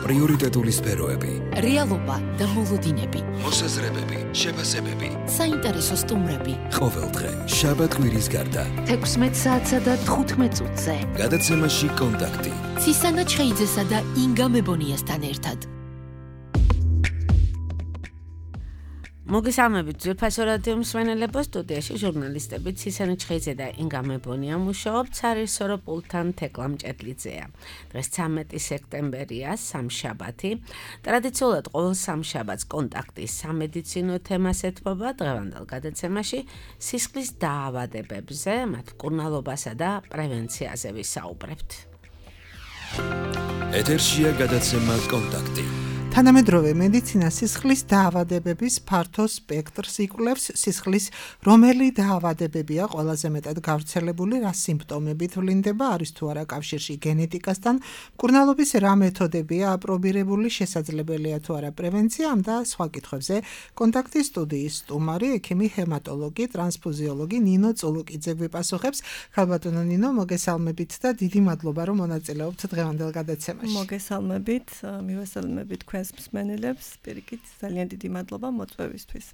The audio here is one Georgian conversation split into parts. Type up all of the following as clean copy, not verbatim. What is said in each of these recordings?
პრიორიტეტული სფეროები, რეალობა და მოლოდინები, მოსაზრებები, შეფასებები, საინტერესო სტუმრები. ყოველდღე შაბათ-კვირის გარდა 16 საათსა და 15 წუთზე. გადაცემაში კონტაქტი. ცისანა ჩხეიძესა და ინგა მებონიასთან ერთად. მოგესალმებით ძვირფასო რადიო მსმენელებო, სტუდიაში ჟურნალისტები ცისანა ჩხეიძე და ინგა მებონია მუშაობთ საერთო პულტთან თეკლა მჭედლიძეა. დღეს 13 სექტემბერია, სამშაბათი. ტრადიციულად ყოველ სამშაბათს კონტაქტის სამედიცინო თემას ეთმობა. დღევანდელ გადაცემაში სისხლის დაავადებებზე, მათ მკურნალობასა და პრევენციაზე ვისაუბრებთ. ეთერშია გადაცემა კონტაქტი. თანამედროვე მედიცინა სისხლის დაავადებების ფართო სპექტრს იკვლევს. სისხლის რომელი დაავადებებია ყველაზე მეტად გავრცელებული, რა სიმპტომებით ვლინდება, არის თუ არა კავშირში გენეტიკასთან, მკურნალობის რა მეთოდებია აპრობირებული, შესაძლებელია თუ არა პრევენცია, და სხვა კითხვებზე კონტაქტის სტუდიის სტუმარი, ექიმი ჰემატოლოგი, ტრანსფუზიოლოგი ნინო წულუკიძე გვიპასუხებს. ხალბატონო ნინო, მოგესალმებით და დიდი მადლობა, რომ მონაწილეობთ დღევანდელ გადაცემაში. მოგესალმებით, მივესალმებით მსმენელებს, პირიქით ძალიან დიდი მადლობა მოწვევისთვის.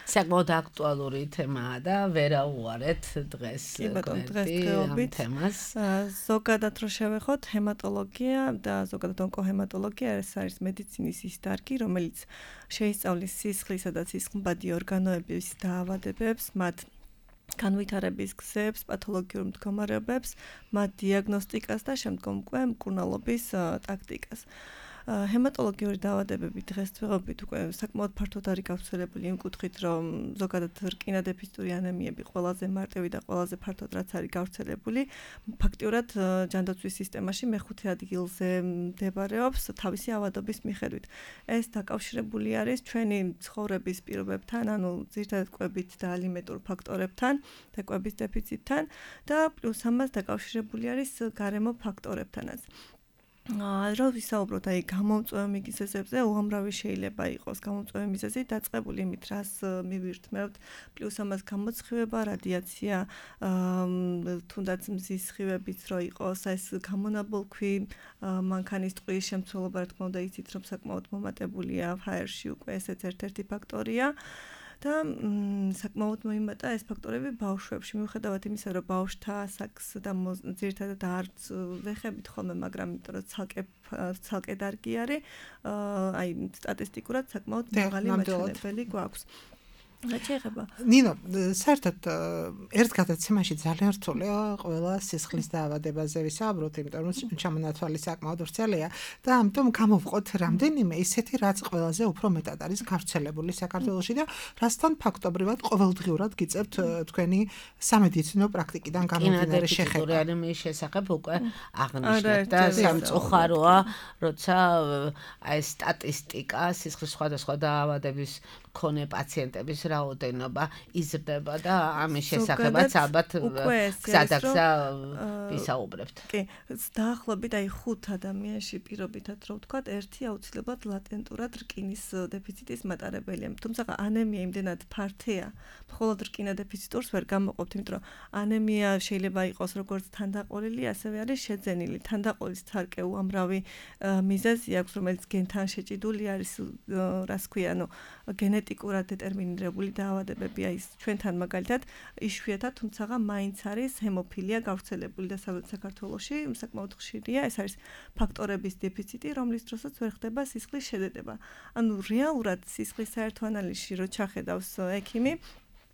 საკმაოდ აქტუალური თემაა და ვერაუარეთ დღეს დღეობით თემას. ზოგადად რო შევეხოთ, ჰემატოლოგია და ზოგადად ონკოჰემატოლოგია არის მედიცინის ის დარგი, რომელიც შეისწავლის სისხლისა და სისხლბადი ორგანოების დაავადებებს, მათ განვითარების გზებს, პათოლოგიურ მდგომარეობებს, მათ დიაგნოსტიკას და შემდგომ უკვე მკურნალობის ტაქტიკას. ჰემატოლოგიური დაავადებები დღესდღეობით უკვე საკმაოდ ფართოდ არის გავრცელებული იმ კუთხით, რომ ზოგადად რკინა-დეფიციტური ანემიები ყველაზე მარტივი და ყველაზე ფართოდ რაც არის გავრცელებული, ფაქტიურად ჯანდაცვის სისტემაში მეხუთე ადგილზე მდებარეობს თავისი ავადობის მიხედვით. ეს დაკავშირებული არის ჩვენი ცხოვრების პირობებთან, ანუ ძირითადად კვებით და ალიმენტურ ფაქტორებთან, და კვების დეფიციტთან და პლუს ამას დაკავშირებული არის გარემო ფაქტორებთანაც. რო ვისაუბროთ აი გამომწვევი მიზეზებზე, უამრავი შეიძლება იყოს გამომწვევი მიზეზი, დაწყებული იმით, რას მივირთმევთ, პლუს ამას გამოცხივება, რადიაცია, თუნდაც მზის სხივებიც რო იყოს, ეს გამონაბოლქვი, მანქანის ტყვის შემცველობა, რა თქმა უნდა, იცით, რომ საკმაოდ მომატებულია ჰაერში უკვე ესეც ერთ-ერთი ფაქტორია. და საკმაოდ მოიმატა ეს ფაქტორები ბავშვებში. მიუხედავად იმისა, რომ ბავშვთა ასაკს და ძირითადად არც ვეხებით ხოლმე, მაგრამ იმიტომ რომ ცალკე დარგი არის, აი სტატისტიკურად საკმაოდ მაღალი მაჩვენებელი გვაქვს. ნინო, საერთოდ ერთ გადაცემაში ძალიან რთულია ყველა სისხლის დაავადებაზე ვისაუბროთ, იმიტომ რომ ჩამონათვალი საკმაოდ ვრცელია და ამიტომ გამოვყოთ რამდენიმე ისეთი, რაც ყველაზე უფრო მეტად არის გავრცელებული საქართველოში და რასთან ფაქტობრივად ყოველდღიურად გიწევთ თქვენი სამედიცინო პრაქტიკიდან გამომდინარე შეხება. ანემიის შესახებ უკვე აღნიშნეთ და სამწუხაროა, როცა აი სტატისტიკა სისხლის სხვადასხვა დაავადების მქონე პაციენტების რაოდენობა იზრდება და ამის შესახებაც ალბათ გზადაგზა ვისაუბრებთ. კი, დაახლოებით აი 5 ადამიანში პირობითად რო ვთქვათ, ერთი აუცილებლად ლატენტურად რკინის დეფიციტის მატარებელია. თუმცა ანემია იმდენად ფართეა, მხოლოდ რკინა დეფიციტურს ვერ გამოყოფთ, იმიტომ რომ ანემია შეიძლება იყოს როგორც თანდაყოლილი, ასევე არის შეძენილი. თანდაყოლის თარკე უამრავი მიზეზი აქვს, რომელიც გენთან შეჭიდული არის, რას ქვია, ანუ გენეტიკურად დეტერმინირებული დაავადებები, აი ჩვენთან მაგალითად იშვიათად, თუმცა მაინც არის ჰემოფილია გავრცელებული და საქართველოში საკმაოდ ხშირია. ეს არის ფაქტორების დეფიციტი, რომლის დროსაც ვერ ხდება სისხლის შედედება. ანუ რეალურად სისხლის საერთო ანალიზში რო ჩახედავს ექიმი,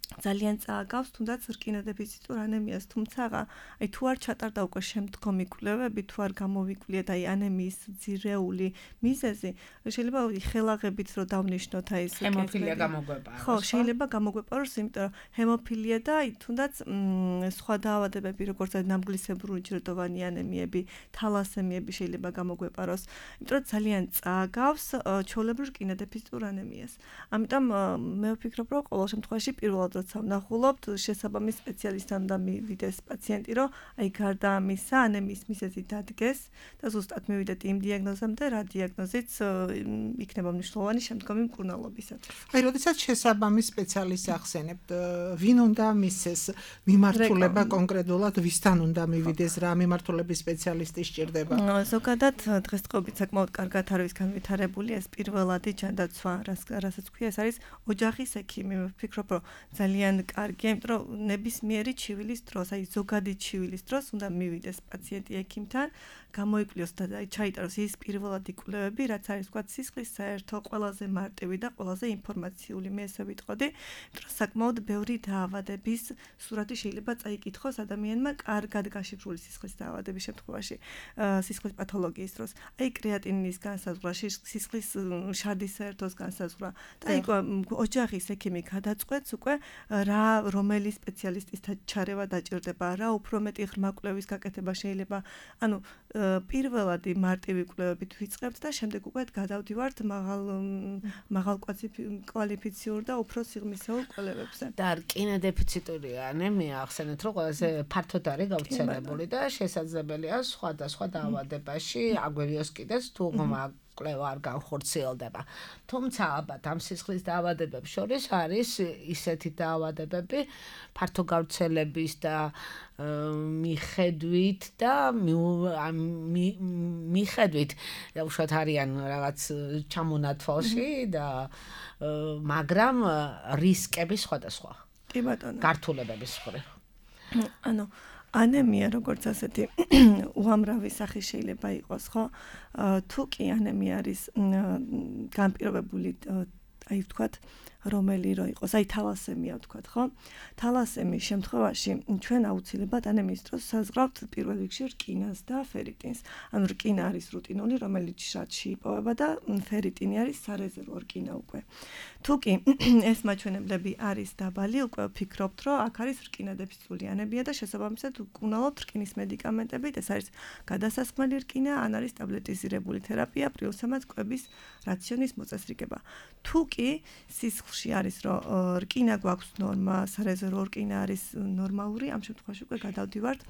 ძალიან წააგავს თუნდაც რკინა-დეფიციტურ ანემიას, თუმცა აი თუ არ ჩატარდა უკვე შემდგომი კვლევები, თუ არ გამოვიკვლიეთ აი ანემიის ძირეული მიზეზი, შეიძლება ხელაღებით რო დავნიშნოთ აი ეს ჰემოფილია გამოგვეპაროს. ხო, შეიძლება გამოგვეპაროს, იმიტომ რომ ჰემოფილია და აი თუნდაც სხვა დაავადებები, როგორც აი ნამგლისებრული ჯირდოვანი ანემიები, თალასემიები შეიძლება გამოგვეპაროს, იმიტომ რომ ძალიან წააგავს ჩვეულებრივ რკინა-დეფიციტურ ანემიას. ამიტომ მე ვფიქრობ, რომ ყოველ შემთხვევაში პირველად როცა ვნახულობთ, შესაბამის სპეციალისტთან და მივიდეს პაციენტი, რომ აი გარდა ამისა, ანემიის მიზეზი დადგეს და ზუსტად მივიდეთ იმ დიაგნოზამდე, რა დიაგნოზიც იქნება მნიშვნელოვანი შემდგომი მკურნალობისათვის. აი, როდესაც შესაბამის სპეციალისტს ახსენებთ, ვინ უნდა მისცეს მიმართულება კონკრეტულად, ვისთან უნდა მივიდეს, რა მიმართულების სპეციალისტი სჭირდება? ზოგადად დღესდღეობით საკმაოდ კარგად არის განვითარებული ეს პირველადი ჯანდაცვა, რასაც ქვია, ეს არის ოჯახის ექიმი. ვფიქრობ, რომ ძალიან კარგია, იმიტომ რომ ნებისმიერი ჩივილის დროს, აი ზოგადი ჩივილის დროს უნდა მივიდეს პაციენტი ექიმთან, გამოიკვლიოს და ჩაიტაროს ის პირველადი კვლევები, რაც არის თქვა სისხლის საერთო ყველაზე მარტივი და ყველაზე ინფორმაციული. მე ესე ვიტყოდი, რომ საკმაოდ ბევრი დაავადების სურათი შეიძლება წაიკითხოს ადამიანმა კარგად გაშიფრული სისხლის დაავადების შემთხვევაში, სისხლის პათოლოგიის დროს. აი კრეატინინის განსაზღვრა, სისხლის შარდის საერთოს განსაზღვრა და აი ოჯახის ექიმი გადაწყვეტს უკვე რა რომელი სპეციალისტის ჩარევა დაჭირდება, რა უფრო მეტი ღრმა კვლევის გაკეთება შეიძლება. ანუ პირველადი მარტივი კვლევებით ვიწყებთ და შემდეგ უკვე გადავდივართ მაღალ კვალიფიციურ და უფრო სიღრმისეულ კვლევებზე. და რკინა დეფიციტური ანემია ახსენეთ, რომ ყველაზე ფართოდ არის გავრცელებული და შესაძლებელია სხვადასხვა დაავადებაში აგვერიოს კიდეც თუ კვლევა არ განხორციელდება. თუმცა ალბათ ამ სისხლის დაავადებებს შორის არის ისეთი დაავადებები ფართო გავრცელების და მიხედვით და მიხედვით უშუალოდ არიან რაღაც ჩამონათვალში და მაგრამ რისკები სხვადასხვა. კი ბატონო. გართულებების მხრივ. ანუ ანემია როგორც ასეთი უამრავი სახის შეიძლება იყოს, ხო? თუ კი ანემია არის განპირობებული, აი ვთქვათ, რომელი რო იყოს, აი თალასემია ვთქვათ, ხო? თალასემიის შემთხვევაში ჩვენ აუცილებლად ანემიის დროს საზღვრავთ პირველ რიგში რკინას და ფერიტინს. ანუ რკინა არის რუტინული, რომელიც შრატში იპოვება და ფერიტინი არის სარეზერვო რკინა უკვე. თუ კი ეს მაჩვენებლები არის დაბალი, უკვე ვფიქრობთ, რომ აქ არის რკინა დეფიციტური ანემია და შესაბამისად ვკურნალობთ რკინის მედიკამენტებით, ეს არის გადასასხმელი რკინა, ან არის ტაბლეტიზირებული თერაპია, პრიუსამაც კვების რაციონის მოწესრიგება. თუ კი სისხლში არის, რომ რკინა გვაქვს ნორმა, სარეზერვო რკინა არის ნორმალური, ამ შემთხვევაში უკვე გადავდივართ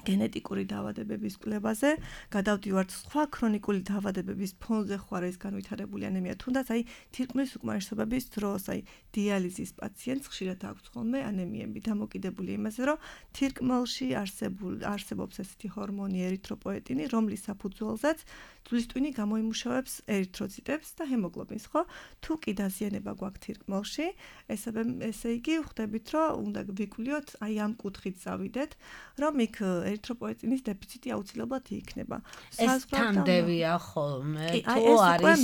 გენეტიკური დაავადებების კვლევაზე, გადავდივართ სხვა ქრონიკული დაავადებების ფონზე ხო არის განვითარებული ანემია, თუნდაც აი თირკმლის უკმარისობების დროს, აი დიალიზის პაციენტს ხშირად აქვს ხოლმე ანემიები, დამოკიდებული იმაზე, რომ თირკმელში არსებობს ესეთი ჰორმონი ერითროპოეტინი, რომლის საფუძველზეც თვლის ტვინი გამოიმუშავებს ერითროციტებს და ჰემოგლობინს, ხო? თუ კი დაზიანება გვაქვს თირკმელში, ესე იგი ვხვდებით, რომ უნდა ვიკვლიოთ, აი ამ კუთხით წავიდეთ, რომ იქ ერითროპოეტინის დეფიციტი აუცილებლად იქნება. ეს თანდევია ხოლმე, თუ არის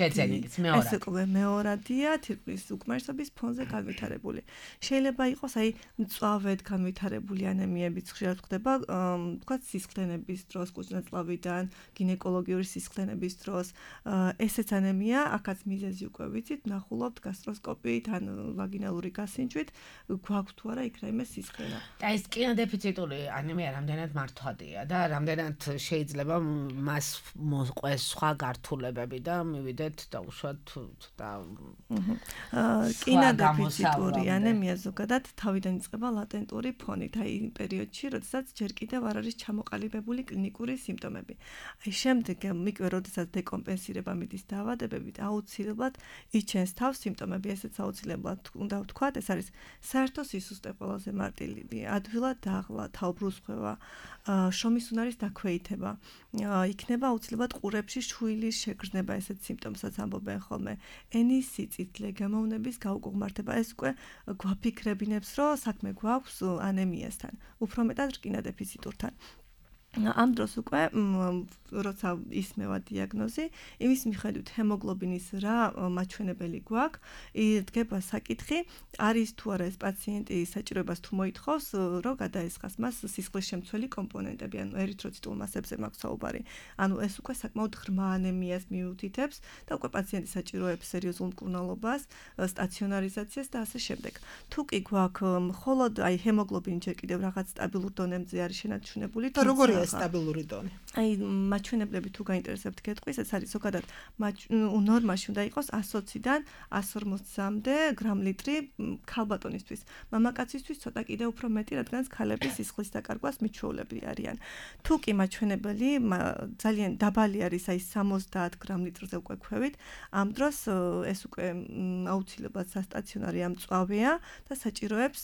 შეძენილი, ეს უკვე მეორადია თირკმლის უკმარისობის ფონზე განვითარებული. შეიძლება იყოს აი მწვავედ განვითარებული ანემიებიც ხშირად ხდება, თქვა სისხლდენების დროს, კუჭნაწლავიდან, გინეკოლოგიური სისხლდენების დროს, ესეც ანემია, აქაც მიზეზი უკვე ვიცით, ნახულობთ გასტროსკოპით, ან ვაგინალური გასინჯვით, გვაქვს თუ არა იქ რაიმე სისხლდენა. და ეს რკინა დეფიციტური ანემია რამდენად მართვადია და რამდენად შეიძლება მას მოყვეს სხვა გართულებები და მივიდეთ და უშუალოდ და რკინა დეფიციტური ანემია ზოგადად თავიდან იწყება ლატენტური ფონით, აი იმ პერიოდში, როდესაც ჯერ კიდევ არ არის ჩამოყალიბებული კლინიკური სიმპტომები. აი შემდეგ მიკვე როდესაც დეკომპენსირება მიდის დაავადებებით, აუცილებლად იჩენს თავს სიმპტომები, ესეც აუცილებლად უნდა ვთქვათ, ეს არის საერთო სისუსტე ყველაზე მარტივი, ადვილად დაღლა, თავბრუსხვევა, შრომის უნარის დაქვეითება, იქნება აუცილებლად ყურებში შვილის შეგრძნება, ესეც სიმპტომსაც ამბობენ ხოლმე, ენის სიწითლე, გემოვნების გაუკუღმართება, ეს უკვე გვაფიქრებინებს, რომ საქმე გვაქვს ანემიასთან, უფრო მეტად რკინა დეფიციტურთან. ამ დროს უკვე როცა ისმევა დიაგნოზი, იმის მიხედვით ჰემოგლობინის რა მაჩვენებელი გვაქვს, დგება საკითხი, არის თუ არა ეს პაციენტი საჭიროებას თუ მოითხოვს, რომ გადაესხას მას სისხლის შემცველი კომპონენტები, ანუ ერითროციტულ მასებზე მაქვს საუბარი. ანუ ეს უკვე საკმაოდ ღრმა ანემიას მიუთითებს და უკვე პაციენტი საჭიროებს სერიოზულ მკურნალობას, სტაციონარიზაციას და ასე შემდეგ. თუ კი გვაქვს მხოლოდ აი ჰემოგლობინი ჯერ კიდევ რაღაც სტაბილურ დონემდე არის შენარჩუნებული, როგორია სტაბილური დონე. აი მაჩვენებლები თუ გაინტერესებთ გეტყვის, ეს არის ზოგადად ნორმაში უნდა იყოს 120-დან 150-მდე გრამ-ლიტრი ქალბატონისთვის. მამაკაცისთვის ცოტა კიდევ უფრო მეტი, რადგანაც ქალები სისხლის დაკარგვას მიჩვეულები არიან. თუ კი მაჩვენებელი ძალიან დაბალი არის, აი 70 გრამ-ლიტრზე უკვე ქვევით, ამ დროს ეს უკვე აუცილებლად სასტაციონარი ამწვავეა და საჭიროებს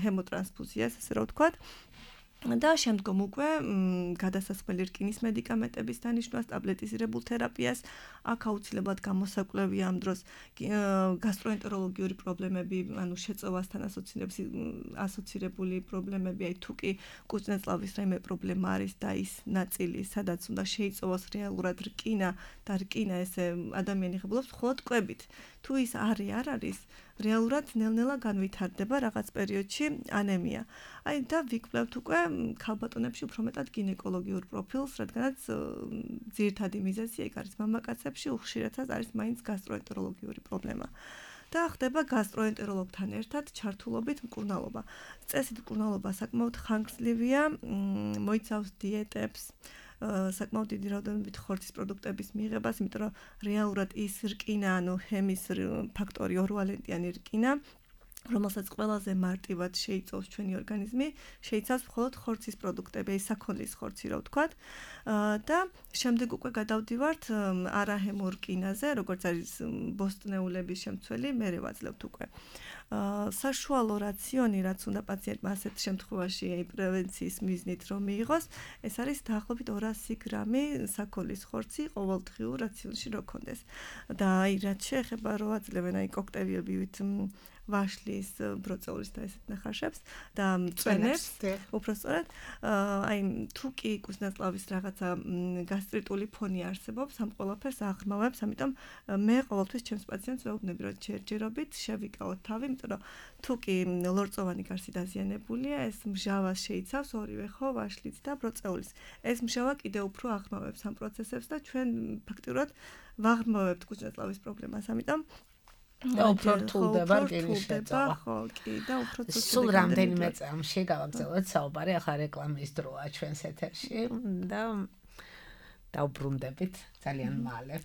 ჰემოტრანსფუზიას, ასე რომ ვთქვათ. და შემდგომ უკვე გადასასხმელი რკინის მედიკამენტების დანიშნვას, ტაბლეტიზირებულ თერაპიას, აქ აუცილებლად გამოსაკვლევია ამ დროს გასტროენტეროლოგიური პრობლემები, ანუ შეწოვასთან ასოცირებული პრობლემები, აი თუ კი კუწნეწლავის რაიმე პრობლემა არის და ის ნაწილი, სადაც უნდა შეიწოვოს რეალურად რკინა და რკინა ესე ადამიანი ხებულობს მხოლოდ კვებით. თუ ის არ არის, რეალურად ნელ-ნელა განვითარდება რაღაც პერიოდში ანემია. აი და ვიკვლევთ უკვე ქალბატონებში უფრო მეტად გინეკოლოგიურ პროფილს, რადგანაც ძირითადი მიზეზი ეგ არის მამაკაცებში, უხშირად არის მაინც გასტროენტეროლოგიური პრობლემა. და ხდება გასტროენტეროლოგთან ერთად ჩართულობით მკურნალობა. წესით მკურნალობა საკმაოდ ხანგრძლივია, მოიცავს დიეტებს, საკმაოდ დიდი რაოდენობით ხორცის პროდუქტების მიღებას, იმიტომ რომ რეალურად ის რკინა, ანუ ჰემის ფაქტორი ორვალენტიანი რკინა, რომელსაც ყველაზე მარტივად შეიწოვს ჩვენი ორგანიზმი, შეიცავს მხოლოდ ხორცის პროდუქტები, აი საქონლის ხორცი, რა ვთქვათ. და შემდეგ უკვე გადავდივართ არაჰემურ რკინაზე, როგორც არის ბოსტნეულების შემცველი, მერე ვაძლევთ უკვე. საშუალო რაციონი, რაც უნდა პაციენტმა ასეთ შემთხვევაში პრევენციის მიზნით რომ მიიღოს, ეს არის დაახლოებით 200 გრამი საქონლის ხორცი ყოველდღიურ რაციონში რო კონდეს. და აი რაც შეეხება რო აძლევენ აი კოქტეილებით ვაშლის, ბროწეულის და ესეთ ნახარშებს და მწვენებს, უფრო სწორად, აი თუ კი კუზნეწლავის რაღაცა გასტრიტული ფონი არსებობს, ამ ყველაფერს აღრმავებს, ამიტომ მე ყოველთვის ჩემს პაციენტს ვეუბნები, რომ ჯერჯერობით შევიკავოთ თავი, იმიტომ რომ თუ კი ლორწოვანი გარსი დაზიანებულია, ეს მჟავა შეიცავს ორივე ხო ვაშლიც და ბროწეულის. ეს მჟავა კიდევ უფრო აღრმავებს ამ პროცესებს და ჩვენ ფაქტიურად ვაღრმავებთ კუზნეწლავის პრობლემას, ამიტომ და უფრო რთულდება რკინის შეწოვა. ხო, კი, და უფრო რთულდება. სულ რამდენიმე წამში გავაგზავნოთ საუბარი, ახლა რეკლამის დროა ჩვენს ეთერში და დავბრუნდებით ძალიან მალე.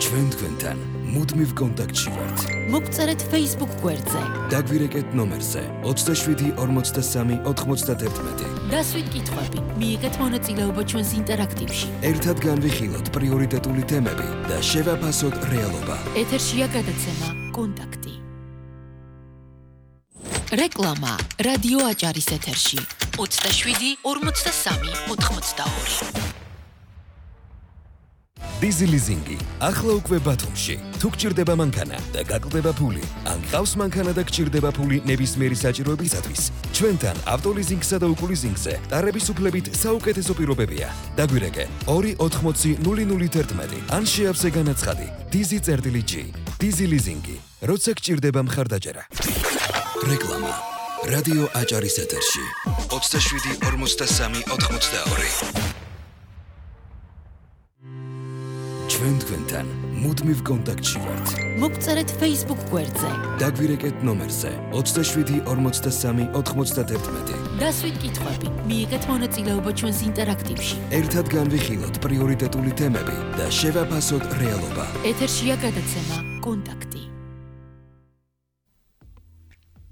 ჩვენ თქვენთან მუდმივ კონტაქტში ვართ. მოგწერეთ Facebook გვერდზე. დაგვირეკეთ ნომერზე 27 43 91. დასვით კითხვები, მიიღეთ მონაწილეობა ჩვენს ინტერაქტივში. ერთად განვიხილოთ პრიორიტეტული თემები და შევაფასოთ რეალობა. ეთერშია გადაცემა კონტაქტი. რეკლამა რადიო აჭარის ეთერში 27 43 82. დიზი ლიზინგი ახლა უკვე ბათუმში. თუ გჭირდება მანქანა და გაკლდება ფული, ან ყავს მანქანა და გჭირდება ფული ნებისმიერი საჭიროებისათვის, ჩვენთან ავტოლიზინგსა და უკულიზინგზე ტარების უფლებით საუკეთესო პირობებია. დაგვირეკე 2800011 ან შეავსე განაცხადი DIZI-G. დიზი ლიზინგი, როცა გჭირდება მხარდაჭერა. რეკლამა რადიო აჭარის ეთერში 27 43 82. ჩვენ თქვენთან მუდმივ კონტაქტში ვართ. მოგწერეთ Facebook გვერდზე. დაგვირეკეთ ნომერზე 27 43 91. დასვით კითხვები, მიიღეთ მონაწილეობა ჩვენს ინტერაქტივში. ერთად განვიხილოთ პრიორიტეტული თემები და შევაფასოთ რეალობა. ეთერშია გადაცემა კონტაქტი.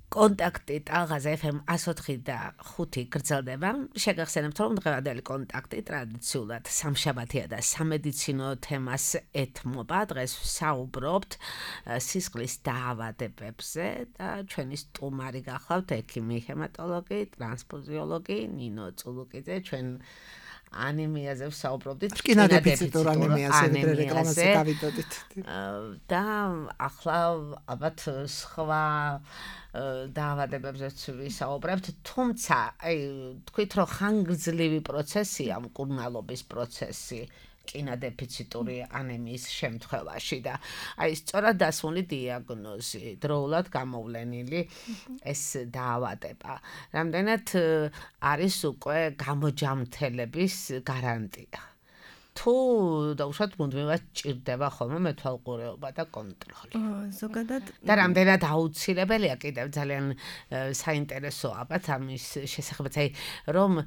კონტაქტი ტალღაზე FM 104 და 5 გრძელდება. შეგახსენებთ, რომ დღევანდელი კონტაქტი ტრადიციულად სამშაბათია და სამედიცინო თემას ეთმობა. დღეს ვსაუბრობთ სისხლის დაავადებებზე და ჩვენი სტუმარი გახლავთ ექიმი ჰემატოლოგი, ტრანსფუზიოლოგი ნინო წულუკიძე. ჩვენ ანემიაზე ვსაუბრობდით, რკინადეფიციტურ ანემიაზე რეკლამაზე გავიდოდით. და ახლა ალბათ სხვა დაავადებებზეც ვისაუბრებთ, თუმცა აი თქვით, რომ ხანგრძლივი პროცესია მკურნალობის პროცესი რკინადეფიციტური ანემიის შემთხვევაში და აი სწორად დასმული დიაგნოზი, დროულად გამოვლენილი ეს დაავადება. რამდენად არის უკვე გამოჯამთელების გარანტია? თუ დაუშვათ მუდმივად ჭირდება ხოლმე მეთვალყურეობა და კონტროლი. ზოგადად და რამდენად აუცილებელია კიდევ ძალიან საინტერესო ალბათ ამის შესახებაც, აი რომ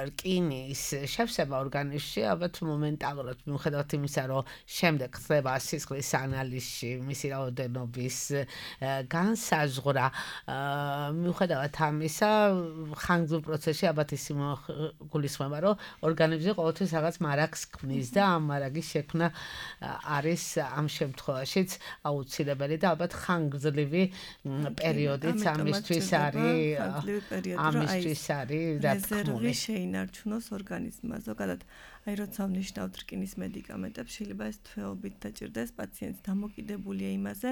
რკინის შევსება ორგანიზმში ალბათ მომენტალურად მიუხედავად იმისა, რომ შემდეგ ხდება სისხლის ანალიზში მისი რაოდენობის განსაზღვრა, მიუხედავად ამისა ხანგრძლივ პროცესში ალბათ ისი გულისხმობა, რომ ორგანიზმი ყოველთვის რაღაც მარაგს ქმნის და ამ მარაგის შექმნა არის ამ შემთხვევაშიც აუცილებელი და ალბათ ხანგრძლივი პერიოდიც ამისთვის არის რეზერვი შეინარჩუნოს ორგანიზმმა. ზოგადად აი როცა ვნიშნავთ რკინის მედიკამენტებს, შეიძლება ეს თვეობით დაჭირდეს პაციენტს დამოკიდებულია იმაზე,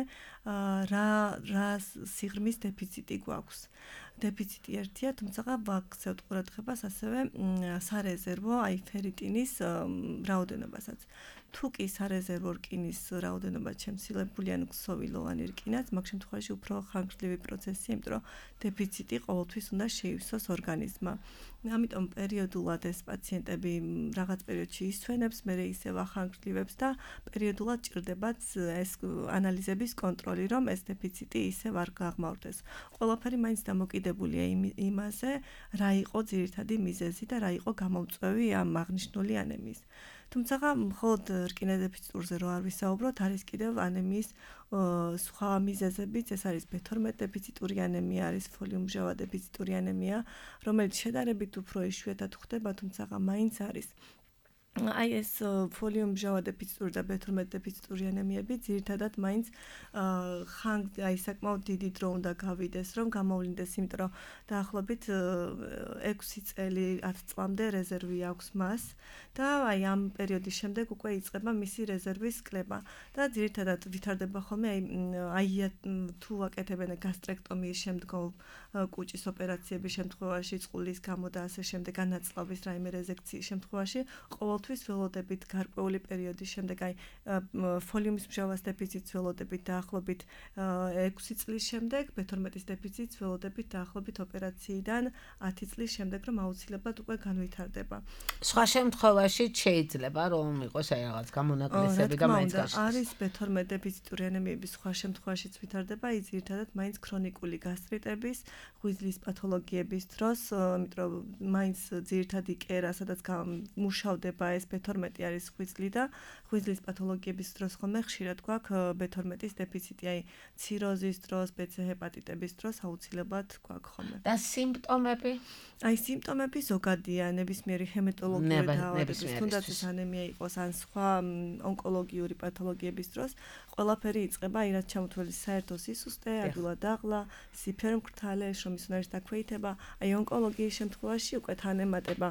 რა სიღრმის დეფიციტი გვაქვს. დეფიციტი ერთია, თუმცა ვაქცევთ ყურადღებას ასევე სარეზერვო აი ფერიტინის რაოდენობასაც. თუ კი სარეზერვო რკინის რაოდენობა შემცირებულია ან ქსოვილოვანი რკინაც, მაგ შემთხვევაში უფრო ხანგრძლივი პროცესია, იმიტომ რომ დეფიციტი ყოველთვის უნდა შეივსოს ორგანიზმმა. ამიტომ პერიოდულად ეს პაციენტები რაღაც პერიოდში ისვენებს, მერე ისევ ახანგრძლივებს და პერიოდულად ჭირდებათ ეს ანალიზების კონტროლი, რომ ეს დეფიციტი ისევ არ გაღმავდეს. ყველაფერი მაინც დამოკიდებულია იმაზე, რა იყო ძირითადი მიზეზი და რა იყო გამომწვევი ამ აღნიშნული ანემიის. თუმცა მხოლოდ რკინის დეფიციტურზე რო არ ვისაუბროთ, არის კიდევ ანემიის სხვა მიზეზებიც, ეს არის B12 დეფიციტური ანემია, არის ფოლიუმჟავა დეფიციტური ანემია, რომელიც შედარებით უფრო იშვიათად ხდება, თუმცა მაინც არის. აი ეს ფოლიუმჟავა დეფიციტური და B12 დეფიციტური ანემიები ძირითადად მაინც აი საკმაოდ დიდი დრო უნდა გავიდეს, რომ გამოვლინდეს, იმიტომ რომ დაახლოებით 6 წელი 10 წლამდე რეზერვი აქვს მას და აი ამ პერიოდის შემდეგ უკვე იწყება მისი რეზერვის კლება და ძირითადად ვითარდება ხოლმე აი თუ აკეთებენ გასტრექტომიის შემდგომ კუჭის ოპერაციების შემთხვევაში, წყულის გამო და ასე შემდეგ, განაწლავის რაიმე რეზექციის შემთხვევაში ყოველთვის ველოდებით გარკვეული პერიოდის შემდეგ აი ფოლიუმის მჟავას დეფიციტს ველოდებით დაახლოებით 6 წლის შემდეგ, B12-ის დეფიციტს ველოდებით დაახლოებით ოპერაციიდან 10 წლის შემდეგ, რომ აუცილებლად უკვე განვითარდება. სხვა შემთხვევაში შეიძლება რომ იყოს აი რაღაც გამონაკლისები და მაინც გაშლის. არის B12 დეფიციტური ანემიების სხვა შემთხვევაშიც ვითარდება, ის ძირითადად მაინც ქრონიკული გასტრიტების, ღვიძლის პათოლოგიების დროს, იმიტომ რომ მაინც ძირითადი კერა, სადაც მუშავდება ეს B12 არის ღვიძლი და ღვიძლის პათოლოგიების დროს ხოლმე ხშირად გვაქვს B12-ის დეფიციტი, აი ციროზის დროს, BC ჰეპატიტების დროს აუცილებლად გვაქვს ხოლმე. და სიმპტომები? აი სიმპტომები ზოგადია, ნებისმიერი ჰემატოლოგიური დაავადების, თუნდაც ეს ანემია იყოს ან სხვა ონკოლოგიური პათოლოგიების დროს, ყველაფერი იწყება აი რაც ჩამოთვლილი საერთო სისუსტე, ადვილად აღლა, სიფერმკრთალე, შრომის უნარის დაქვეითება, აი ონკოლოგიის შემთხვევაში უკვე თან ემატება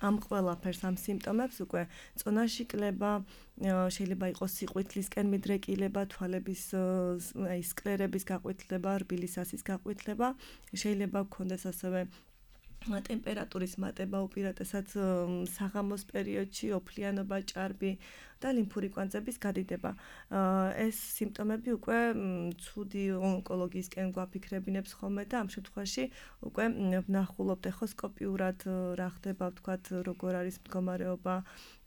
ამ ყველაფერს, ამ სიმპტომებს უკვე წონაში კლება, შეიძლება იყოს სიყვითლისკენ მიდრეკილება, თვალების აი სკლერების გაყვითლება, რბილის ასის გაყვითლება, შეიძლება გქონდეს ასევე ტემპერატურის მატება უპირატესად საღამოს პერიოდში, ოფლიანობა, ჭარბი და ლიმფური კვანძების გადიდება. ეს სიმპტომები უკვე ცუდი ონკოლოგიისკენ გვაფიქრებინებს ხოლმე და ამ შემთხვევაში უკვე ვნახულობთ ეხოსკოპიურად რა ხდება, ვთქვათ, როგორ არის მდგომარეობა,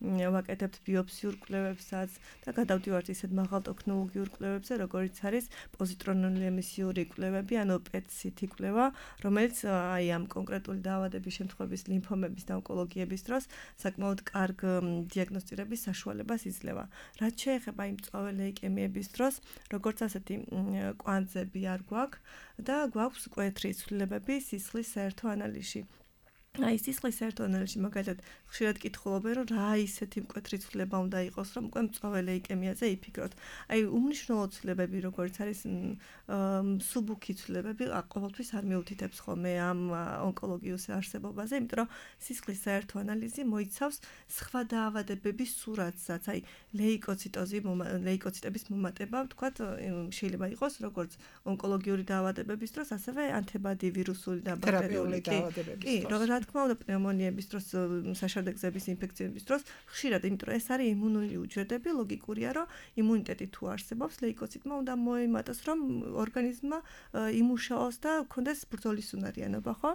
ვაკეთებთ ბიოპსიურ კვლევებსაც და გადავდივართ ისეთ მაღალ ტექნოლოგიურ კვლევებზე, როგორიც არის პოზიტრონული ემისიური კვლევები, ანუ PET-CT კვლევა, რომელიც აი ამ კონკრეტული დაავადების შემთხვევების ლიმფომების და ონკოლოგიების დროს საკმაოდ კარგ დიაგნოსტირების საშუალებას იძლევა. რაც შეეხება იმ მწვავე ლეიკემიების დროს, როგორც ასეთი კვანძები არ გვაქვს და გვაქვს მკვეთრი ცვლილებები სისხლის საერთო ანალიზში. აი სისხლის საერთო ანალიზში მაგალითად ხშირად კითხულობენ, რომ რა ისეთი მკვეთრი ცვლილება უნდა იყოს, რომ უკვე მწვავე ლეიკემიაზე იფიქროთ. აი უმნიშვნელო ცვლილებები, როგორც არის მსუბუქი ცვლილებები, ყოველთვის არ მიუთითებს ხოლმე ამ ონკოლოგიურ არსებობაზე, იმიტომ რომ სისხლის საერთო ანალიზი მოიცავს სხვა დაავადებების სურათსაც, აი ლეიკოციტების მომატება, ვთქვათ, შეიძლება იყოს როგორც ონკოლოგიური დაავადებების დროს, ასევე ანთებადი ვირუსული და ბაქტერიული დაავადებების დროს. რა თქმა უნდა, პნევმონიების დროს, საშარდე გზების ინფექციების დროს ხშირად, იმიტომ რომ ეს არის იმუნური უჯრედები, ლოგიკურია, რომ იმუნიტეტი თუ არსებობს, ლეიკოციტმა უნდა მოიმატოს, რომ ორგანიზმმა იმუშაოს და გქონდეს ბრძოლის უნარიანობა, ხო?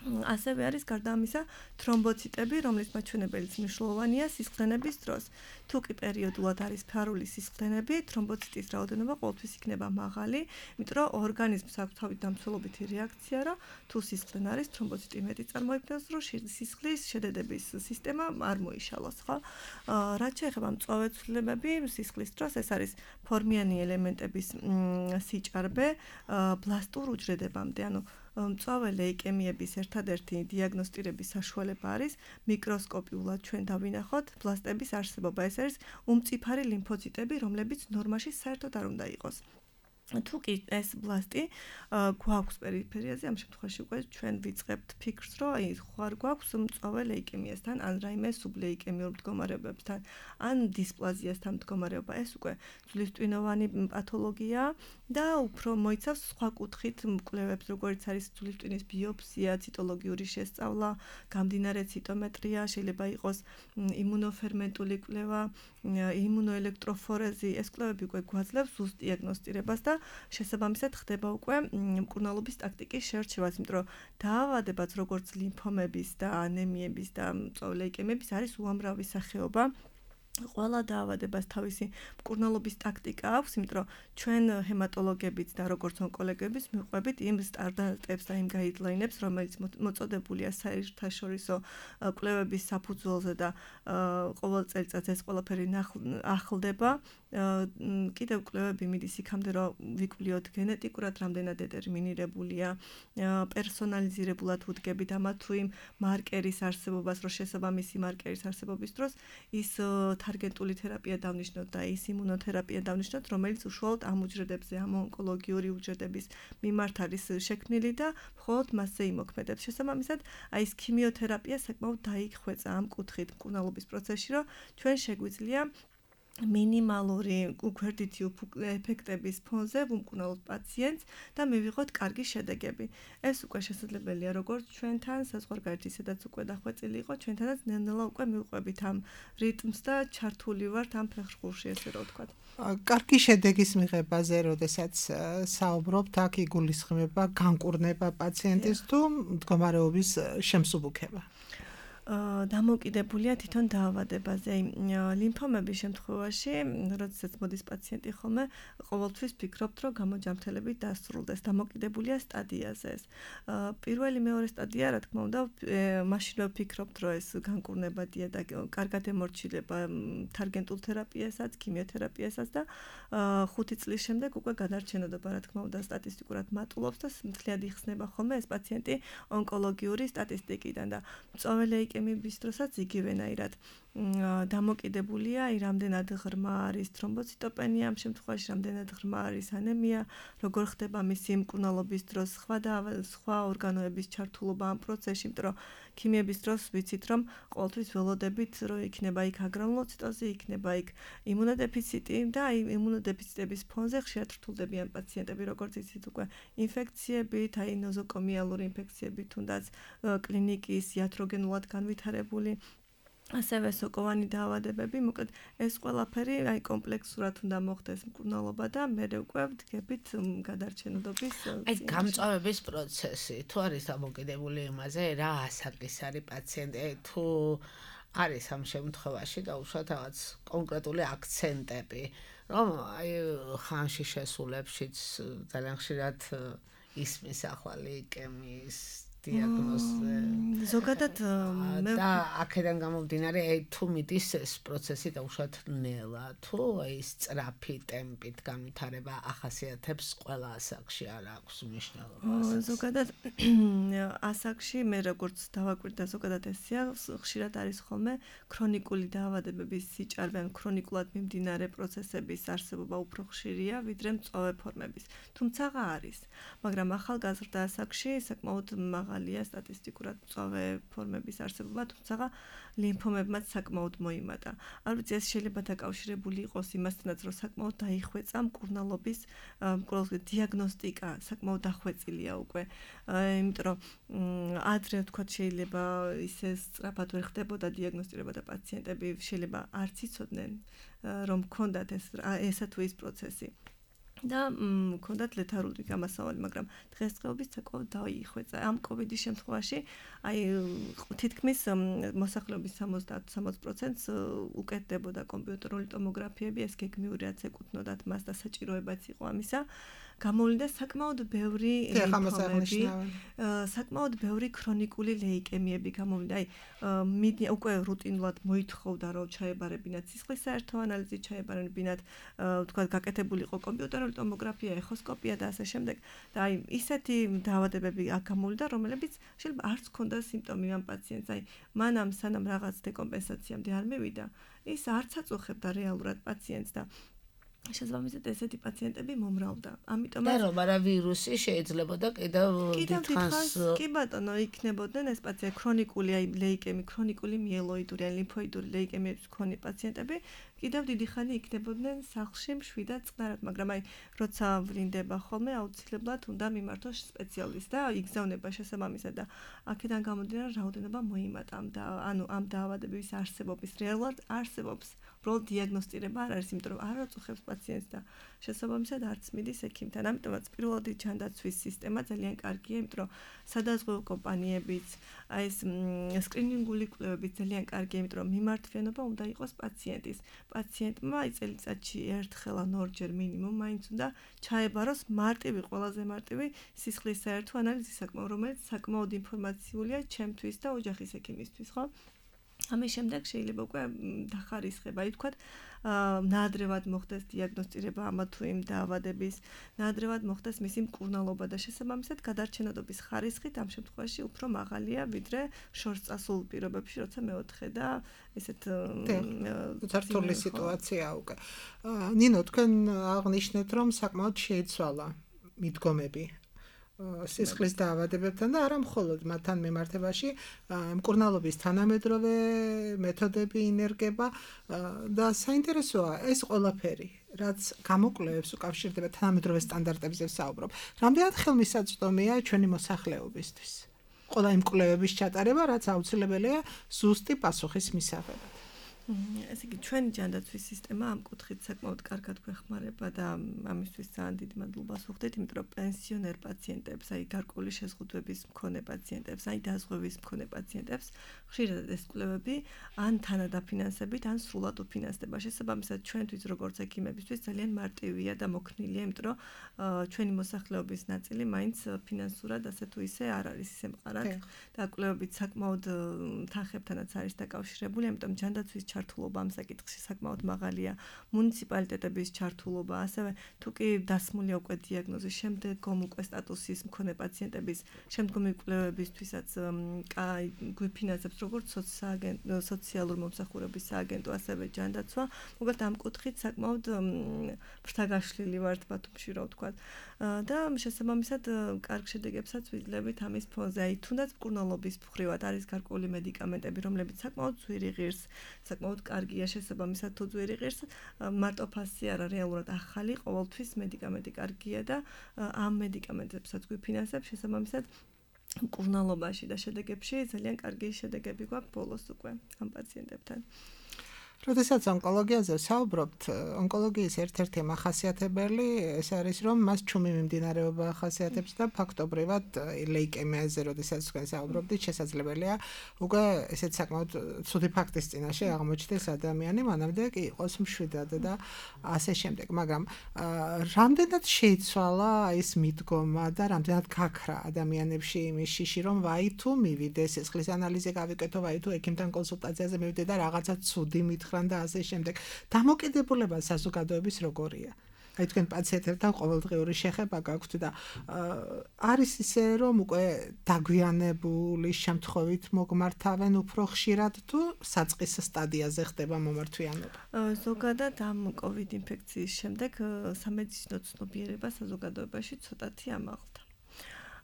ასევე არის გარდა ამისა თრომბოციტები, რომლის მაჩვენებელიც მნიშვნელოვანია სისხლდენების დროს. თუ კი პერიოდულად არის ფარული სისხლდენები, თრომბოციტის რაოდენობა ყოველთვის იქნება მაღალი, იმიტომ რომ ორგანიზმს აქვს თავის დამცველობითი რეაქცია, რომ თუ სისხლდენ არის, თრომბოციტი მეტი წარმოიქმნას, რომ სისხლის შედედების სისტემა არ მოიშალოს, ხო? რაც შეეხება მწვავე ცვლილებები სისხლის დროს, ეს არის ფორმიანი ელემენტების სიჭარბე ბლასტურ უჯრედებამდე, ანუ მწვავე ლეიკემიების ერთადერთი დიაგნოსტირების საშუალება არის მიკროსკოპიულად ჩვენ დავინახოთ ბლასტების არსებობა. ეს არის უმწიფარი ლიმფოციტები, რომლებიც ნორმაში საერთოდ არ უნდა იყოს. თუ კი ეს ბლასტი გვაქვს პერიფერიაზე, ამ შემთხვევაში უკვე ჩვენ ვიწყებთ ფიქრს, რომ აი ხარ გვაქვს მწვავე ლეიკემიასთან, ან რაიმე სუბლეიკემიურ მდგომარეობებთან, ან დისპლაზიასთან მდგომარეობა. ეს უკვე ძვლისტვინოვანი პათოლოგია და უფრო მოიცავს სხვა კუთხით მკვლევებს, როგორც არის ძვლისტვინის ბიოფსია, ციტოლოგიური შესწავლა, გამდინარე ციტომეტრია, შეიძლება იყოს იმუნოფერმენტული კვლევა, იმუნოელექტროფორეზი. ეს კვლევები უკვე გვაძლევს ზუსტ დიაგნოსტირებას და შესაბამისად ხდება უკვე მკურნალობის ტაქტიკის შერჩევაც, იმიტომ რომ დაავადებაც როგორც ლიმფომების და ანემიების და მწვავე ლეიკემიების არის უამრავი სახეობა. ყველა დაავადებას თავისი მკურნალობის ტაქტიკა აქვს, იმიტომ რომ ჩვენ ჰემატოლოგებიც და როგორც ონკოლოგებიც მივყვებით იმ სტანდარტებს და იმ გაიდლაინებს, რომელიც მოწოდებულია საერთაშორისო კვლევების საფუძველზე და ყოველ წელიწადს ეს ყველაფერი ახლდება. კიდევ კვლევები მიდის იქამდე, რომ ვიკვლიოთ გენეტიკურად რამდენად დეტერმინირებულია, პერსონალიზირებულად ვუდგებით ამა თუ იმ მარკერის არსებობას, რომ შესაბამისი მარკერის არსებობის დროს ის თარგეტული თერაპია დავნიშნოთ და ის იმუნოთერაპია დავნიშნოთ, რომელიც უშუალოდ ამ უჯრედებზე, ამ ონკოლოგიური უჯრედების მიმართ არის შექმნილი და მხოლოდ მასზე იმოქმედებს. შესაბამისად, აი ეს ქიმიოთერაპია საკმაოდ დაიხვეწა ამ კუთხით მკურნალობის პროცესში, რომ ჩვენ შეგვიძლია მინიმალური უგვერდითი ეფექტების ფონზე ვუმკურნალოთ პაციენტს და მივიღოთ კარგი შედეგები. ეს უკვე შესაძლებელია როგორც ჩვენთან საზღვარგარეთ, ისედაც უკვე დახვეწილი იყო, ჩვენთანაც ნელ-ნელა უკვე მივყვებით ამ რიტმს და ჩართული ვართ ამ ფეხშუღურში, ესე რომ ვთქვათ. კარგი შედეგის მიღებაზე, როდესაც საუბრობთ, აქ იგულისხმება განკურნება პაციენტის თუ მდგომარეობის შემსუბუქება. დამოკიდებულია თვითონ დაავადებაზე. ლიმფომების შემთხვევაში, როდესაც მოდის პაციენტი ხოლმე, ყოველთვის ფიქრობთ, რომ გამოჯამრთელებით დასრულდეს. დამოკიდებულია სტადიაზე ეს. პირველი, მეორე სტადია, რა თქმა უნდა, მაშინვე ვფიქრობთ, რომ ეს განკურნებადია და კარგად ემორჩილება თარგენტულ თერაპიასაც, ქიმიოთერაპიასაც და 5 წლის შემდეგ უკვე გადარჩენოდობა, რა თქმა უნდა, სტატისტიკურად მატულობს და მთლიანად იხსნება ხოლმე ეს პაციენტი ონკოლოგიური სტატისტიკიდან და მწვავე ლეიკემიების დროსაც იგივენაირად დამოკიდებულია, რამდენად ღრმა არის თრომბოციტოპენია, ამ შემთხვევაში რამდენად ღრმა არის ანემია, როგორ ხდება მისი მკურნალობის დროს სხვა ორგანოების ჩართულობა ამ პროცესში, იმიტომ რომ ქიმიების დროს ვიცით, რომ ყოველთვის ველოდებით, რომ იქნება იქ აგრანულოციტოზი, იქნება იქ იმუნოდეფიციტი და აი იმუნოდეფიციტების ფონზე ხშირად რთულდებიან პაციენტები, როგორც იცით უკვე ინფექციებით, აი ნოზოკომიალური ინფექციებით, თუნდაც კლინიკის იატროგენულად განვითარებული ასევე სოკოვანი დაავადებები, მოკლედ ეს ყველაფერი აი კომპლექსურად უნდა მოხდეს მკურნალობა და მე უკვე ვდგებით გადარჩენოდობის. აი გამწვავების პროცესი, თუ არის დამოკიდებული იმაზე, რა ასაკის არის პაციენტი, თუ არის ამ შემთხვევაში დაუშვათ რაღაც კონკრეტული აქცენტები, რომ აი ხანში შესულებშიც ძალიან ხშირად ისმის ახლა ლეიკემიის დიაგნოზზე. ზოგადად და აქედან გამომდინარე, თუ მიდის ეს პროცესი დაუშვათ ნელა, თუ ეს სწრაფი ტემპით განვითარება ახასიათებს ყველა ასაკში არ აქვს მნიშვნელობას. ზოგადად ასაკში მე როგორც დავაკვირდა ზოგადად ესეა, ხშირად არის ხოლმე ქრონიკული დაავადებების სიჭარბე, ან ქრონიკულად მიმდინარე პროცესების არსებობა უფრო ხშირია, ვიდრე მწვავე ფორმების. თუმცა არის, მაგრამ ახალგაზრდა ასაკში საკმაოდ მაღალია სტატისტიკურად მწვავე ფორმების არსებობა, თუმცა ლიმფომებმაც საკმაოდ მოიმატა. არ ვიცი, ეს შეიძლება დაკავშირებული იყოს იმასთანაც, რომ საკმაოდ დაიხვეწა მკურნალობის დიაგნოსტიკა, საკმაოდ დახვეწილია უკვე. იმიტომ რომ ადრე ვთქვათ შეიძლება ისე სწრაფად ვერ ხდებოდა დიაგნოსტირება და პაციენტები შეიძლება არც იცოდნენ, რომ ჰქონდათ ესა თუ ის პროცესი. და მქონდათ ლეთარული გამასავალი, მაგრამ დღესდღეობით საკმაოდ დაიხვეწა. ამ კოვიდის შემთხვევაში აი თითქმის მოსახლეობის 70-60%-ს უკეთდებოდა კომპიუტერული ტომოგრაფიები, ეს გეგმიურიაც ეკუთვნოდათ მას და საჭიროებაც იყო ამისა. გამოვლინდა საკმაოდ ბევრი ლიმფომები, საკმაოდ ბევრი ქრონიკული ლეიკემიები გამოვლინდა. აი უკვე რუტინულად მოითხოვდა რომ ჩაებარებინათ სისხლის საერთო ანალიზი, ჩაებარებინათ თქვა გაკეთებული იყო კომპიუტერული ტომოგრაფია, ეხოსკოპია და ასე შემდეგ. და აი ისეთი დაავადებები აქ გამოვლინდა, რომლებიც შეიძლება არც ქონდა სიმპტომი ამ პაციენტს. აი მანამ სანამ რაღაც დეკომპენსაციამდე არ მივიდა, ის არც აწუხებდა რეალურად პაციენტს და შესაბამისად ესეთი პაციენტები მომრავლდა. ამიტომ და რომ არა ვირუსი შეიძლება და კიდევ დიდხანს კი ბატონო იქნებოდნენ ეს პაციენტები ქრონიკული აი ლეიკემი, ქრონიკული მიელოიდური ან ლიმფოიდური ლეიკემიების მქონე პაციენტები კიდევ დიდი ხანი იქნებოდნენ სახლში მშვიდად წყნარად, მაგრამ აი როცა ვლინდება ხოლმე აუცილებლად უნდა მიმართოს სპეციალისტს და იგზავნება შესაბამისად და აქედან გამომდინარე რაოდენობა მოიმატა ანუ ამ დაავადების არსებობის რეალურად არსებობს. უბრალოდ დიაგნოსტირება არ არის, იმიტომ რომ არ აწუხებს პაციენტს და შესაბამისად არც მიდის ექიმთან. ამიტომაც პირველადი ჯანდაცვის სისტემა ძალიან კარგია, იმიტომ რომ სადაზღვევო კომპანიებიც, აი ეს სკრინინგული კვლევებიც ძალიან კარგია, იმიტომ რომ მიმართვიანობა უნდა იყოს პაციენტის. პაციენტმა აი წელიწადში ერთხელ ან ორჯერ მინიმუმ მაინც უნდა ჩაებაროს მარტივი, ყველაზე მარტივი სისხლის საერთო ანალიზი, რომელიც საკმაოდ ინფორმაციულია ჩემთვის და ოჯახის ექიმისთვის, ხო? ამის შემდეგ შეიძლება უკვე დახარისხება, აი თქვათ, ნაადრევად მოხდეს დიაგნოსტირება ამა თუ იმ დაავადების, ნაადრევად მოხდეს მისი მკურნალობა და შესაბამისად გადარჩენადობის ხარისხით ამ შემთხვევაში უფრო მაღალია, ვიდრე შორს წასულ პირობებში, როცა მეოთხე და ესეთ რთული სიტუაცია უკვე. ნინო, თქვენ აღნიშნეთ, რომ საკმაოდ შეიცვალა მიდგომები სისხლის დაავადებებთან და არა მხოლოდ მათთან მიმართებაში, მკურნალობის თანამედროვე მეთოდები ინერგება და საინტერესოა ეს ყველაფერი, რაც გამოკვლევებს უკავშირდება თანამედროვე სტანდარტებზე ვსაუბრობ. რამდენად ხელმისაწვდომია ჩვენი მოსახლეობისთვის ყველა იმ კვლევების ჩატარება, რაც აუცილებელია ზუსტი პასუხის მისაღებად. ესე იგი ჩვენი ჯანდაცვის სისტემა ამ კუთხით საკმაოდ კარგად გვეხმარება და ამისთვის ძალიან დიდი მადლობას ვუხდით, იმიტომ რომ პენსიონერ პაციენტებს, აი გარკვეული შეზღუდვების მქონე პაციენტებს, აი დაზღვევის მქონე პაციენტებს ხშირად ეს კვლევები ან თანადაფინანსებით, ან სრულად უფინანსდება. შესაბამისად ჩვენთვის როგორც ექიმებისთვის ძალიან მარტივია და მოქნილია, იმიტომ რომ ჩვენი მოსახლეობის ნაწილი მაინც ფინანსურად ასე თუ ისე არ არის ისე მყარად და კვლევებით საკმაოდ თანხებთანაც არის დაკავშირებული, ამიტომ ჯანდაცვის ჩართულობა ამ საკითხში საკმაოდ მაღალია, მუნიციპალიტეტების ჩართულობა, ასევე თუ კი დასმულია უკვე დიაგნოზის შემდგომ უკვე სტატუსის მქონე პაციენტების შემდგომი კვლევებისთვისაც გვიფინანსებს როგორც სოციალურ მომსახურების სააგენტო, ასევე ჯანდაცვა. მოკლედ ამ კუთხით საკმაოდ ფრთაგაშლილი ვართ ბათუმში, რა ვთქვათ. და შესაბამისად კარგ შედეგებსაც ვიძლევით ამის ფონზე. აი თუნდაც მკურნალობის მხრივად არის გარკვეული მედიკამენტები, რომლებიც საკმაოდ ძვირი ღირს, საკმაოდ კარგია შესაბამისად თუ ძვირი ღირს, მარტო ფასი არა, რეალურად ახალი ყოველთვის მედიკამენტი კარგია და ამ მედიკამენტებსაც გვიფინანსებს შესაბამისად მკურნალობაში და შედეგებში ძალიან კარგი შედეგები გვაქვს ბოლოს უკვე ამ პაციენტებთან. როდესაც ონკოლოგიაზე ვსაუბრობთ, ონკოლოგიის ერთ-ერთი მახასიათებელი ეს არის, რომ მას ჩუმი მიმდინარეობა ახასიათებს და ფაქტობრივად ლეიკემიაზე, როდესაც თქვენ საუბრობდით, შესაძლებელია უკვე ესეთ საკმაოდ ცუდი ფაქტის წინაშე აღმოჩნდეს ადამიანი, მანამდე კი იყოს მშვიდად და ასე შემდეგ. მაგრამ რამდენად შეიცვალა ის მიდგომა და რამდენად გაქრა ადამიანებში იმის შიში, რომ ვაი თუ მივიდე სისხლის ანალიზზე გავიკეთო, ვაი თუ ექიმთან კონსულტაციაზე მივიდე და რაღაცა ცუდი და ასე შემდეგ. დამოკიდებულება საზოგადოების როგორია? აი თქვენ პაციენტებთან ყოველდღიური შეხება გაქვთ და არის ისე რომ უკვე დაგვიანებული შემთხვევით მოგმართავენ უფრო ხშირად თუ საწყის სტადიაზე ხდება მომართვიანობა? ზოგადად ამ COVID ინფექციის შემდეგ სამედიცინო ცნობიერება საზოგადოებაში ცოტათი ამაღლდა.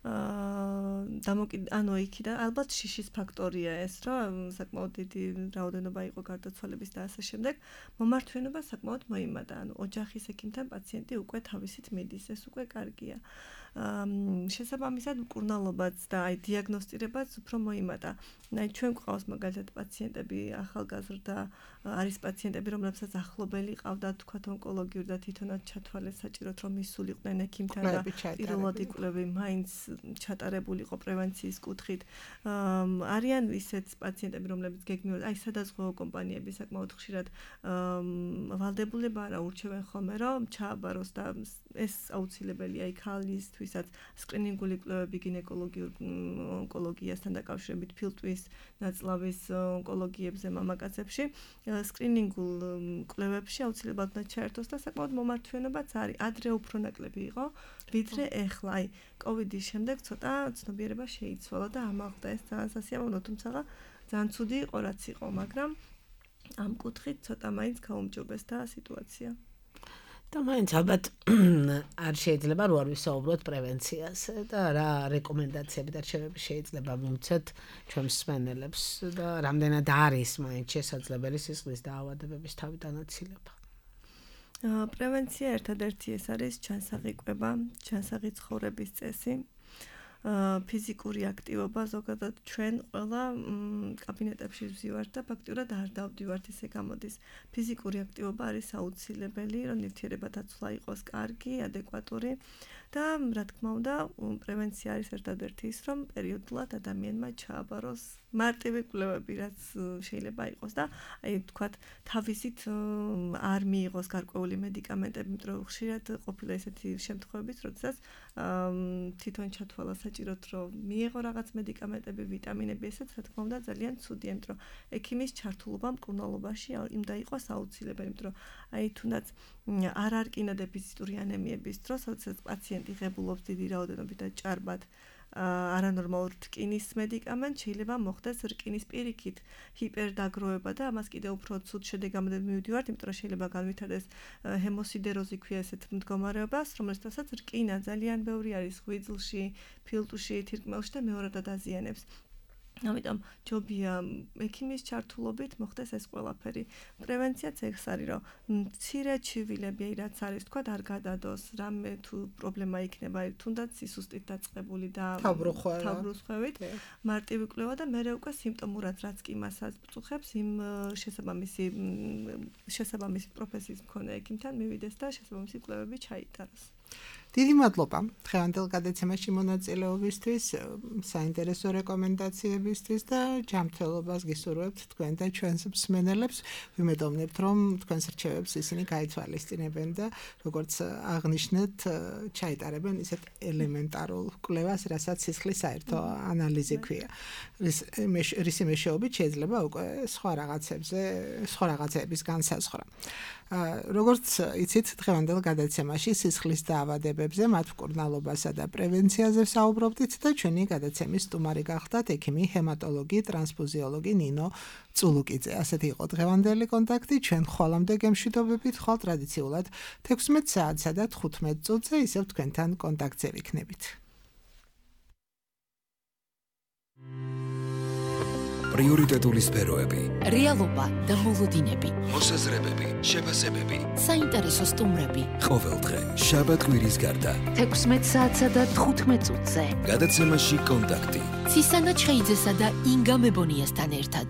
ანუ იქიდან ალბათ შიშის ფაქტორია ეს, რომ საკმაოდ დიდი რაოდენობა იყო გარდაცვალების და ასე შემდეგ, მომართვიანობა საკმაოდ მოიმატა. ანუ ოჯახის ექიმთან პაციენტი უკვე თავისით მიდის, ეს უკვე კარგია. შესაბამისად მკურნალობაც და აი დიაგნოსტირებაც უფრო მოიმატა. აი ჩვენ გვყავს მაგალითად პაციენტები ახალგაზრდა არის პაციენტები რომლებსაც ახლობელი ყავდათ თქვათ ონკოლოგიური და თვითონაც ჩათვალეს საჭიროდ რომ მისულიყვნენ ექიმთან და პირველადი კვლევები მაინც ჩატარებული იყო პრევენციის კუთხით. არიან ისეთ პაციენტები რომლებიც გეგმიურად აი სადაზღვევო კომპანიები საკმაოდ ხშირად ვალდებულებაა რა ურჩევენ ხოლმე რომ ჩააბაროს და ეს აუცილებელია აი ქალისთვისაც სკრინინგული კვლევები გინეკოლოგიურ ონკოლოგიასთან დაკავშირებით ფილტვის ნაწლავის ონკოლოგიებზე მამაკაცებში სკრინინგულ კვლევებში აუცილებლად უნდა ჩაერთოს და საკმაოდ მომართვენობაც არის ადრე უფრო ნაკლები იყო ვიდრე ეხლა აი კოვიდის შემდეგ ცოტა ცნობიერება შეიცვალა და ამაღლდა ეს ძალიან სასიამოვნო თუმცა ძალიან ცუდი იყო რაც იყო მაგრამ ამ კუთხით ცოტა მაინც გაუმჯობესდა სიტუაცია და მაინც ალბათ არ შეიძლება რო არ ვისაუბროთ პრევენციაზე და რა რეკომენდაციები და რჩევები შეიძლება მივცეთ ჩვენ მსმენელებს და რამდენად არის მაინც შესაძლებელი სისხლის დაავადებების თავიდანაცილება. პრევენცია ერთადერთი ეს არის ჩანსაღი კვება, ჩანსაღი ცხოვრების წესი. ფიზიკური აქტივობა ზოგადად ჩვენ ყველა კაბინეტებში ვზივართ და ფაქტურად არ დავდივართ ისე გამოდის. ფიზიკური აქტივობა არის აუცილებელი, რომ ნივთიერებათაცვლა იყოს კარგი, ადეკვატური და რა თქმა უნდა, პრევენცია არის ერთადერთი ის, რომ პერიოდულად ადამიანმა ჩააბაროს მარტივი კვლევები, რაც შეიძლება იყოს და აი თქვათ თავისით არ მიიღოს გარკვეული მედიკამენტები, იმიტომ რომ ხშირად ყოფილა ესეთი შემთხვევებიც, როდესაც თვითონ ჩათვალა საჭიროდ რომ მიიღო რაღაც მედიკამენტები, ვიტამინები, ესეც რა თქმა უნდა ძალიან ცუდია, იმიტომ რომ ექიმის ჩართულობა მკურნალობაში უნდა იყოს აუცილებელი, იმიტომ რომ აი თუნდაც არ არკინა დეფიციტური ანემიების დროს, როდესაც პაციენტი ღებულობს დიდი რაოდენობით და ჭარბად არანორმალურ რკინის მედიკამენტს შეიძლება მოხდეს რკინის პირიქით ჰიპერდაგროვება და ამას კიდევ უფრო ცუდ შედეგამდე მივდივართ, იმიტომ რომ შეიძლება განვითარდეს ჰემოსიდეროზი ქვია ესეთ მდგომარეობას, რომელსაც რკინა ძალიან ბევრი არის ღვიძლში, ფილტვში, თირკმელში და მეორადად აზიანებს. ამიტომ ჯობია ექიმის ჩართულობით მოხდეს ეს ყველაფერი. პრევენციაც ეს არის, რომ მცირე ჩივილები, რაც არის, თქვა, არ გადადოს, რამე თუ პრობლემა იქნება, თუნდაც სისუსტით დაწყებული და თავბრუხვევით, მარტივი კვლევა და მერე უკვე სიმპტომურად რაც კი მას აწუხებს, იმ შესაბამისი პროფესიის მქონე ექიმთან მივიდეს და შესაბამისი კვლევები ჩაიტაროს. დიდი მადლობა დღევანდელ გადაცემაში მონაწილეობისთვის, საინტერესო რეკომენდაციებისთვის და ჯანმრთელობას გისურვებთ თქვენ და ჩვენს მსმენელებს. ვიმედოვნებთ, რომ თქვენს რჩევებს ისინი გაითვალისწინებენ და როგორც აღნიშნეთ, ჩაიტარებენ ისეთ ელემენტარულ კვლევას, რასაც სისხლის საერთო ანალიზი ქვია. რის მეშვეობით შეიძლება უკვე სხვა რაღაცების განსაზღვრა. როგორც იცით, დღევანდელ გადაცემაში სისხლის დაავადებებზე, მათ მკურნალობასა და პრევენციაზე ვსაუბრობდით და ჩვენი გადაცემის სტუმარი გახდათ ექიმი, ჰემატოლოგი, ტრანსფუზიოლოგი ნინო წულუკიძე. ასეთი იყო დღევანდელი კონტაქტი. ჩვენ ხვალამდე გემშვიდობებით, ხვალ ტრადიციულად 16 საათსა და 15 წუთზე ისევ თქვენთან კონტაქტზე ვიქნებით. პრიორიტეტული სფეროები, რეალობა და მოლოდინები, მოსაზრებები, შეფასებები, საინტერესო სტუმრები. ყოველდღე, შაბათ-კვირის გარდა, 16 საათსა და 15 წუთზე. გადაცემაში კონტაქტი. ცისანა ჩხეიძესა და ინგა მებონიასთან ერთად.